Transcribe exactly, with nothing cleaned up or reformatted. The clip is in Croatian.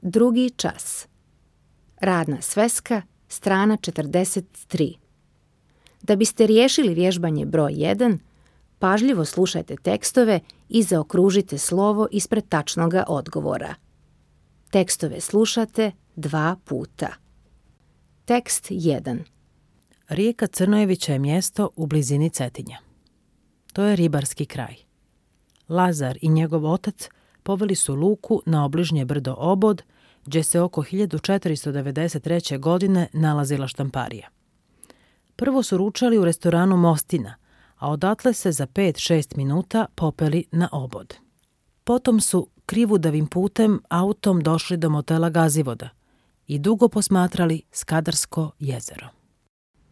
Drugi čas. Radna sveska, strana četrdeset tri. Da biste riješili vježbanje broj jedan, pažljivo slušajte tekstove i zaokružite slovo ispred tačnoga odgovora. Tekstove slušate dva puta. Tekst jedan. Rijeka Crnojevića je mjesto u blizini Cetinja. To je ribarski kraj. Lazar i njegov otac poveli su Luku na obližnje brdo Obod, gdje se oko hiljadu četiristo devedeset treće. godine nalazila štamparija. Prvo su ručali u restoranu Mostina, a odatle se za pet šest minuta popeli na Obod. Potom su krivudavim putem autom došli do motela Gazivoda i dugo posmatrali Skadarsko jezero.